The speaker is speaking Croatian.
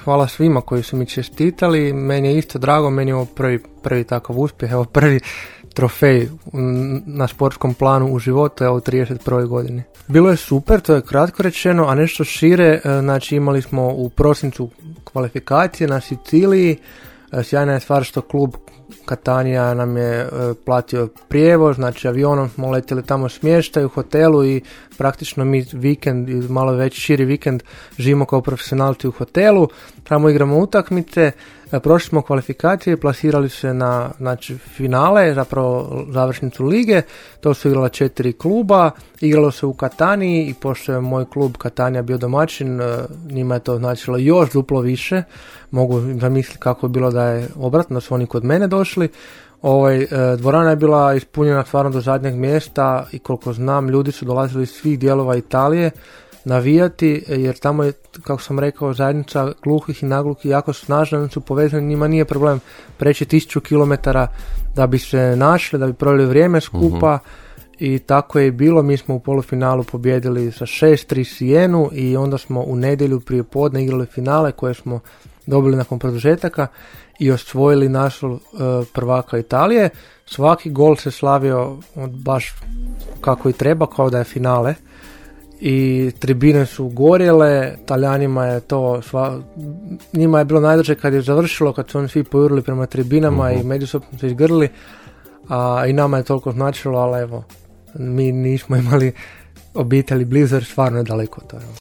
hvala svima koji su mi čestitali, meni je isto drago, meni je ovo prvi takav uspjeh, evo prvi trofej na sportskom planu u životu, evo u 31. godini. Bilo je super, to je kratko rečeno, a nešto šire, znači imali smo u prosincu kvalifikacije na Siciliji, sjajna je stvar što klub Catania nam je platio prijevoz, znači avionom smo letjeli tamo smještaj u hotelu i praktično mi vikend, malo veći širi vikend, živimo kao profesionalci u hotelu, tamo igramo utakmice, prošli smo kvalifikacije, plasirali se na finale, zapravo završnicu lige, to su igrala 4 kluba, igralo se u Kataniji i pošto je moj klub Catania bio domaćin, njima je to značilo još duplo više, mogu zamisliti kako je bilo da je obratno, da su oni kod mene došli. Dvorana je bila ispunjena stvarno do zadnjeg mjesta i koliko znam ljudi su dolazili iz svih dijelova Italije navijati, jer tamo je, kako sam rekao, zajednica gluhih i nagluhih jako snažna, oni su povezani, njima nije problem preći 1000 km da bi se našli, da bi proveli vrijeme skupa. I tako je bilo, mi smo u polufinalu pobijedili sa 6-3 Sijenu i onda smo u nedjelju prije podne igrali finale koje smo dobili nakon produžetaka i osvojili naslov prvaka Italije. Svaki gol se slavio baš kako i treba, kao da je finale. I tribine su gorjele, Talijanima je to, njima je bilo najdrže kad je završilo, kad su oni svi pojurili prema tribinama i međusobno se izgrli, a i nama je toliko značilo, ali evo, mi nismo imali obitelji blizu jer stvarno je daleko to.